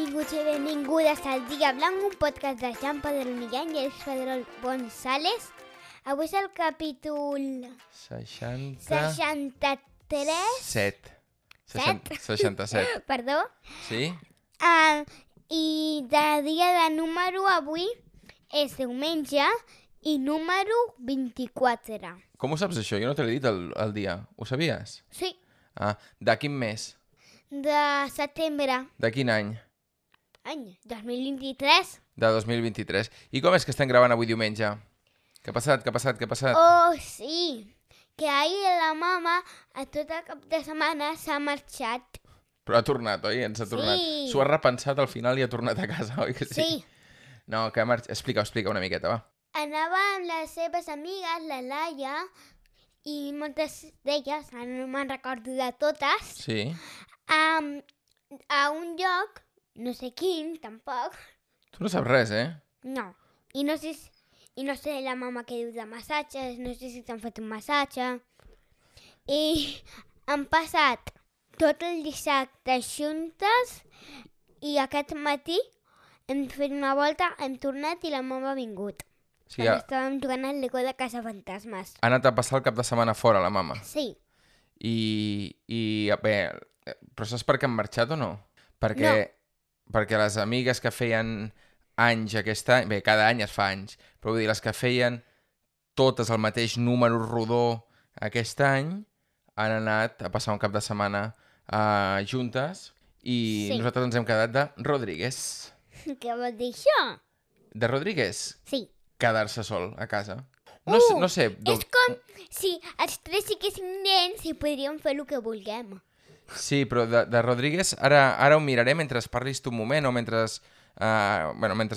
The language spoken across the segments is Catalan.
Benvinguts i benvingudes al Dia Blanc, un podcast de Jean Pedrol Millán i Alex Pedrol González. Avui és el capítol 67. 67. Perdó. Sí? I de dia de número avui és diumenge i número 24. Com ho saps, això? Jo no te l'he dit el dia. Ho sabies? Sí, De quin mes? de setembre, De quin any? any 2023. De 2023. I com és que estem gravant avui diumenge? Què ha passat? Oh, sí, que ahir la mama a tot el cap de setmana s'ha marxat. Però ha tornat, oi? Ens ha tornat. Sí. S'ho ha repensat al final i ha tornat a casa, oi que sí? Sí. No, que ha marxat. Explica una miqueta, va. Anava amb les seves amigues, la Laia, i moltes d'elles, ara no me'n recordo de totes, Sí? a un lloc, no sé quin, tampoc, Tu no saps res, eh? no. I no sé la mama que diu de massatges, no sé si t'han fet un massatge. I han passat tot el dissabte juntes i aquest matí hem fet una volta, hem tornat i la mama ha vingut. Sí, Perquè estàvem jugant al Lego de Casa Fantasmes. ha anat a passar el cap de setmana fora, la mama. Sí. I bé, però saps per què han marxat o no? Perquè les amigues que feien anys aquest any, bé, cada any es fa anys, però vull dir, les que feien totes el mateix número rodó aquest any han anat a passar un cap de setmana juntes i Sí. nosaltres ens hem quedat de Rodríguez. Què vol dir això? De Rodríguez, Sí. quedar-se sol a casa. No sé, És com si els tres siguessin nens i podríem fer el que vulguem. Sí, però de Rodríguez ara ho miraré mentre parlis tu un moment o mentre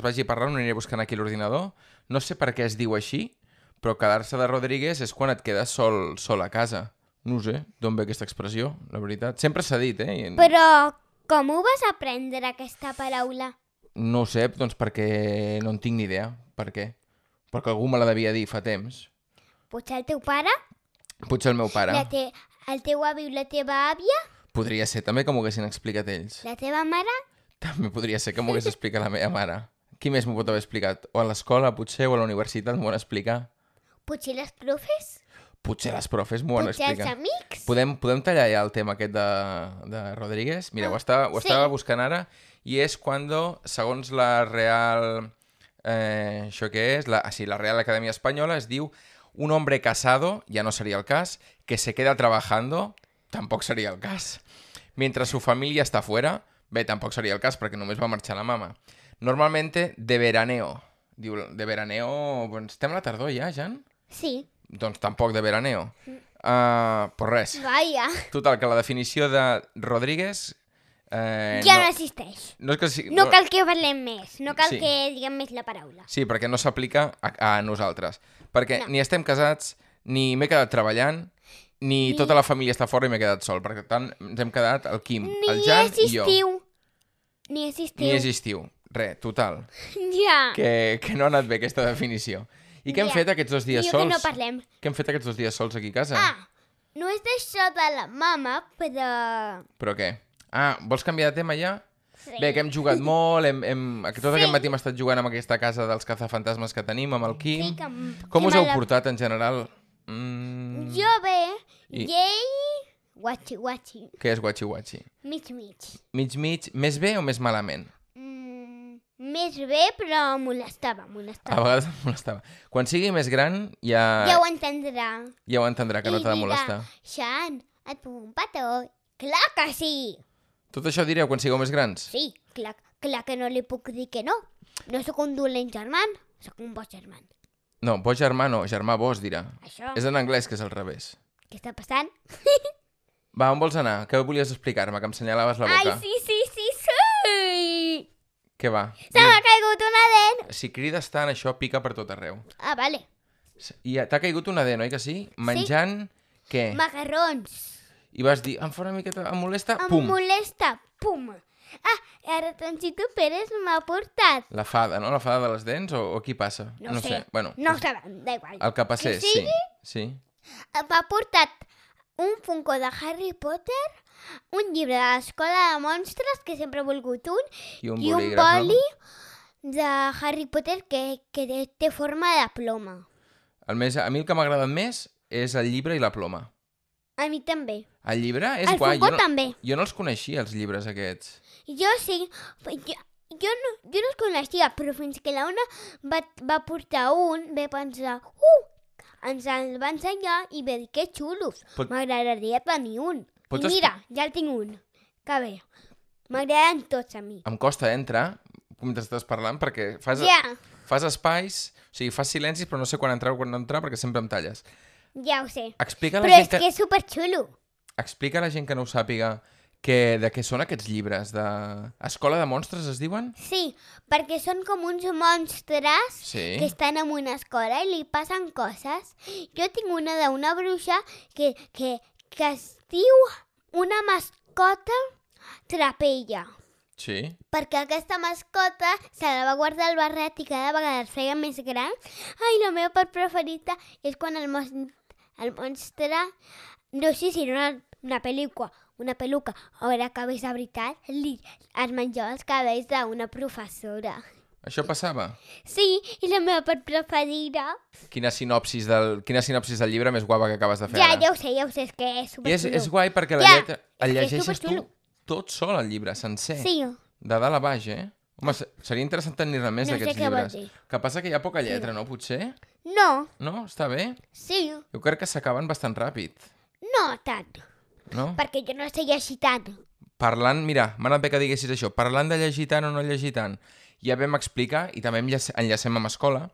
vagi parlant, ho aniré buscant aquí a l'ordinador. No sé per què es diu així, però quedar-se de Rodríguez és quan et quedes sol a casa. No sé d'on ve aquesta expressió, la veritat. Sempre s'ha dit, eh? Però com ho vas aprendre, aquesta paraula? No ho sé, doncs perquè no en tinc ni idea. Per què? Perquè algú me la devia dir fa temps. Potser el teu pare? Potser el meu pare. El teu avi o la teva àvia? Podria ser també que m'ho haguessin explicat ells. La teva mare? També podria ser que m'ho hagués explicat la meva mare. Qui més m'ho pot haver explicat? O a l'escola, potser, o a la universitat m'ho han explicat. Potser les profes? Potser les profes m'ho han Potser explicat. els amics? Podem tallar ja el tema aquest de Rodríguez? Mira, ho estava buscant ara i és quan, segons la Real... això què és? La Real Academia Espanyola es diu un hombre casado, ya no sería el cas, que se queda trabajando, tampoc seria el cas. Mientras su familia está fuera, bé, tampoc seria el cas perquè només va marxar la mama. Normalmente de veraneo. Diu, de veraneo... Doncs estem a la tardor ja, Jan? Sí. Doncs tampoc de veraneo. Pues res. Vaja. Total, que la definició de Rodríguez... Ja no existeix. No, és que No cal que parlem més, no cal Sí. que diguem més la paraula. Sí, perquè no s'aplica a nosaltres. Perquè ni estem casats, ni m'he quedat treballant, ni tota la família està fora i m'he quedat sol. Per tant, ens hem quedat el Quim, el Jan i jo. Ni és estiu. Ni és estiu. Res, total. Ja. Que no ha anat bé aquesta definició. I què hem fet aquests 2 dies Diu sols? que no parlem. Què hem fet aquests 2 dies sols aquí a casa? No és d'això de la mama, però... Però què? Vols canviar de tema ja? Sí. Bé, que hem jugat molt, tot aquest matí hem estat jugant amb aquesta casa dels cazafantasmes que tenim, amb el Quim. Sí, Com us heu portat en general? Jo bé, i ell... Guachi. Què és guachi-guachi? Mig. Mig, més bé o més malament? Més bé, però molestava. A vegades em molestava. Quan sigui més gran ja Ja ho entendrà. Ja ho entendrà, que no t'ha de molestar. Xan, et puc un petó? Clar que sí! Tot això direu quan sigueu més grans? Sí, clar que no li puc dir que no. No sóc un dolent germà, sóc un bo germà. No, bo germà no, germà vos dirà. Això. És en anglès, que és al revés. Què està passant? Va, on vols anar? Què volies explicar-me? Que em senyalaves la boca. Ai, sí! Què va? Se m'ha caigut una dent! Si crides tant, això pica per tot arreu. Vale. I t'ha caigut una dent, oi que sí? Menjant què? Macarrons. I vas dir, em fa una miqueta, em molesta, Em pum! molesta, pum! Ara Toncito Pérez m'ha portat. La fada, no? La fada de les dents o qui passa? No sé. Bueno, No ho sabem, da igual. el que passés, Que sigui? sí. M'ha portat un Funko de Harry Potter, un llibre de l'Escola de Monstres, que sempre he volgut un, I un i un bolígraf, boli de Harry Potter que té forma de ploma. A mi el que m'ha agradat més és el llibre i la ploma. A mi també. El llibre és El guai. Funko també. Jo no els coneixia, els llibres aquests. Jo sí, jo no els coneixia, però fins que la Una va portar un, vaig pensar, ens el va ensenyar i va dir que xulos, m'agradaria tenir un. I mira, ja el tinc un. Que bé, m'agraden tots a mi. Em costa entrar, mentre estàs parlant, perquè fas espais, o sigui, fas silencis, però no sé quan entrar o quan no entrar, perquè sempre em talles. Ja ho sé. Explica Però és que és superxulo. Explica a la gent que no ho sàpiga de què són aquests llibres. Escola de Monstres es diuen? Sí, perquè són com uns monstres que estan en una escola i li passen coses. Jo tinc una d'una bruixa que es diu una mascota trapella. Sí. Perquè aquesta mascota se la va guardar al barret i cada vegada es feia més gran. Ai, la meva part preferida és quan el monstre, no sé si era una peluca o era cabells de veritat, es menjava els cabells d'una professora. Això passava? Sí, i la meva part preferida. Quina sinopsis del llibre més guapa que acabes de fer ara. Ja ho sé, és que és superxulo. I és guai perquè el llegeixes tu tot sol, el llibre, sencer. Sí. De dalt a baix, Home, seria interessant tenir-ne més d'aquests llibres. Que passa que hi ha poca lletra, no, potser? No. No? Està bé? Sí. Jo crec que s'acaben bastant ràpid. No tant. No? Perquè jo no sé llegir tant. Parlant, mira, m'ha anat bé que diguessis això, parlant de llegir tant o no llegir tant, ja vam explicar, i també enllacem amb escola,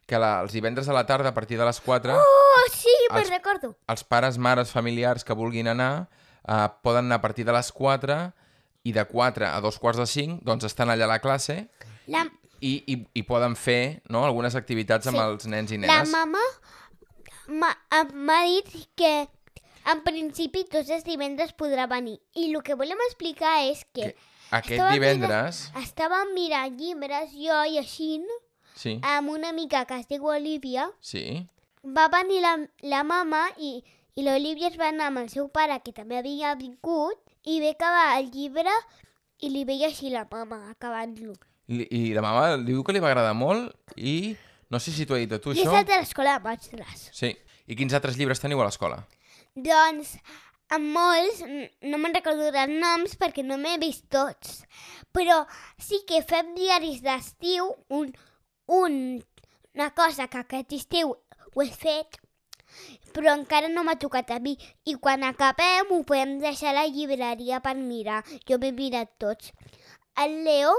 que els divendres a la tarda, a partir de les 4... Oh, sí, me'n recordo. Els pares, mares, familiars que vulguin anar, poden anar a partir de les 4 i de 4 a 2:45 doncs estan allà a la classe i poden fer, no, algunes activitats amb els nens i nenes. La mama m'ha dit que en principi tots els divendres podrà venir. I el que volem explicar és que aquest divendres estàvem mirant llibres jo i així amb una amiga que es diu Olivia. Sí. Va venir la mama i l'Olivia es va anar amb el seu pare, que també havia vingut, i va acabar el llibre i li veia així la mama acabant-lo. I la mama diu que li va agradar molt i no sé si t'ho ha dit a tu, això. I és el de l'Escola de Monstres. Sí. I quins altres llibres teniu a l'escola? Doncs, amb molts, no me'n recordo els noms perquè no m'he vist tots, però sí que fem diaris d'estiu, una cosa que aquest estiu ho he fet, però encara no m'ha tocat a mi. I quan acabem ho podem deixar a la llibreria per mirar. Jo m'he mirat tots. El Leo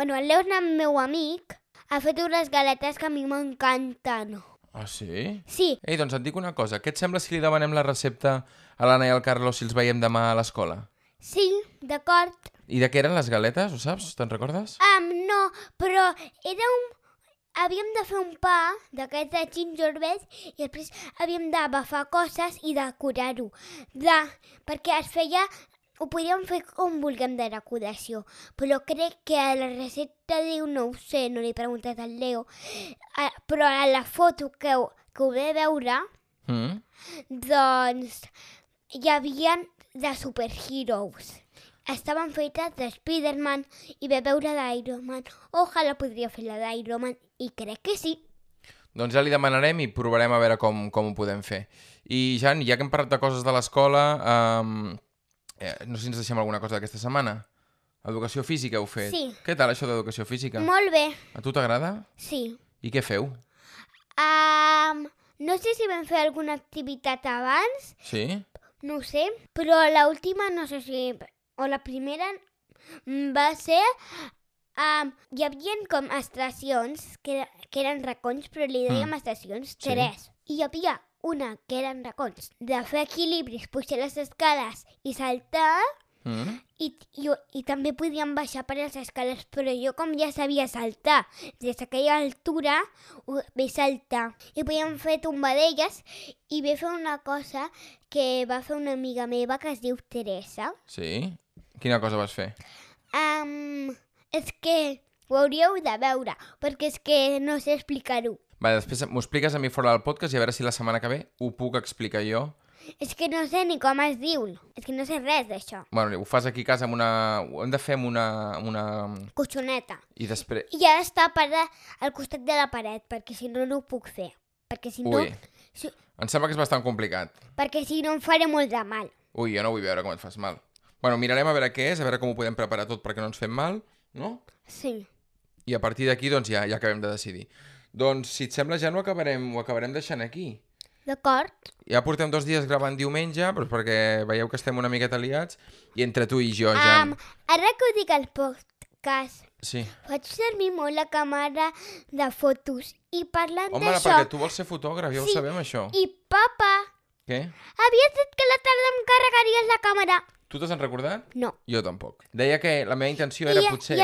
és el meu amic, ha fet unes galetes que a mi m'encanten. Ah, sí? Sí. Ei, doncs et dic una cosa. Què et sembla si li demanem la recepta a l'Anna i al Carlos si els veiem demà a l'escola? Sí, d'acord. I de què eren les galetes, ho saps? Te'n recordes? No, però havíem de fer un pa d'aquests de gingerbread i després havíem de bafar coses i decorar-ho. Perquè es feia... Ho podíem fer com vulguem de decoració, però crec que a la recepta diu, no ho sé, no li he preguntat al Leo, però a la foto que ho ve veure, doncs hi havia de superheroes. Estaven fetes de Spider-Man i ve veure d'Iron Man. Ojalà podria fer la d'Iron Man i crec que sí. Doncs ja li demanarem i provarem a veure com ho podem fer. I Jan, ja que hem parlat de coses de l'escola... no sé si ens deixem alguna cosa d'aquesta setmana. Educació física heu fet. Sí. Què tal això d'educació física? Molt bé. A tu t'agrada? Sí. I què feu? No sé si vam fer alguna activitat abans. Sí? No ho sé. Però l'última no sé si... O la primera va ser... hi havia com estacions que eren racons, però li dèiem estacions 3. I hi havia una que eren racons de fer equilibris, pujar les escales i saltar, i també podíem baixar per les escales, però jo com ja sabia saltar des d'aquella altura, vaig saltar. I podíem fer tombadelles i vaig fer una cosa que va fer una amiga meva que es diu Teresa. Sí? Quina cosa vas fer? És que ho hauríeu de veure, perquè és que no sé explicar-ho. Després m'ho expliques a mi fora del podcast i a veure si la setmana que ve ho puc explicar jo És que no sé ni com es diu. És que no sé res d'això. Bueno, ho fas aquí a casa amb una... Ho hem de fer amb una... Coixoneta. I després... I ha d'estar al costat de la paret, perquè si no, no ho puc fer. Perquè si no... Ui, em sembla que és bastant complicat. Perquè si no em faré molt de mal. Ui, jo no vull veure com et fas mal. Bueno, mirarem a veure què és, a veure com ho podem preparar tot perquè no ens fem mal, no? Sí. I a partir d'aquí, doncs, ja acabem de decidir. Doncs, si et sembla, ja ho acabarem deixant aquí. D'acord? Ja portem 2 dies gravant diumenge, però perquè veieu que estem una miqueta liats, i entre tu i jo, Jan... Ara que ho dic al podcast, Sí. faig servir molt la càmera de fotos i parlant Home, d'això... perquè tu vols ser fotògraf, ja ho sabem, això. I papa, Què? havies dit que a la tarda em carregaries la càmera. Tu t'has recordat? No. Jo tampoc. Deia que la meva intenció era potser...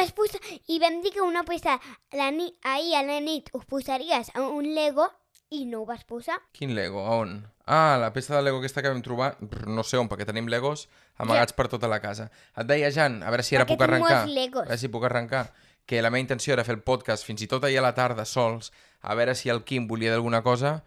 I vam dir que una peça ahir a la nit us posaries a un Lego i no ho vas posar. Quin Lego? A on? Ah, la peça de Lego aquesta que vam trobar, no sé on, perquè tenim Legos amagats per tota la casa. Et deia, Jan, a veure si ara Perquè puc arrencar. tinc molts Legos. A veure si puc arrencar. Que la meva intenció era fer el podcast fins i tot ahir a la tarda sols, a veure si el Quim volia d'alguna cosa,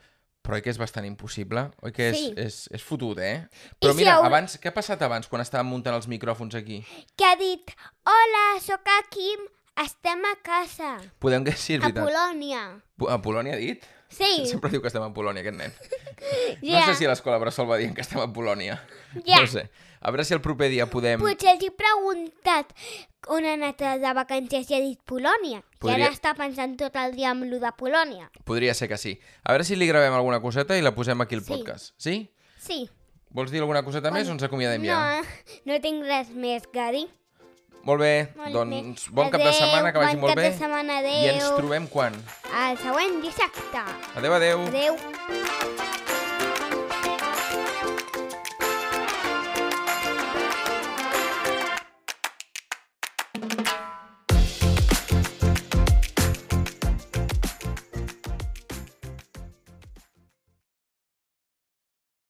però oi que és bastant impossible? Oi que és fotut, eh? Però mira, abans, què ha passat abans, quan estàvem muntant els micròfons aquí? Que ha dit, hola, sóc el Quim, estem a casa. Podem que sí, és A veritat. Polònia. A Polònia ha dit? Sí. Sempre diu que estem a Polònia, aquest nen. Ja. No sé si a l'escola bressol va dient que estem a Polònia. Ja. No sé. A veure si el proper dia podem... Potser els he preguntat on ha anat de vacances i ha dit Polònia. I ara està pensant tot el dia amb lo de Polònia. Podria ser que sí. A veure si li gravem alguna coseta i la posem aquí al podcast. Sí? Sí. Vols dir alguna coseta més o ens acomiadem ja? No tinc res més que dir. Molt bé, doncs bon cap de setmana, que vagi molt bé. Bon cap de setmana, adéu. I ens trobem quan? El següent dissabte. Adéu, adéu. Adéu.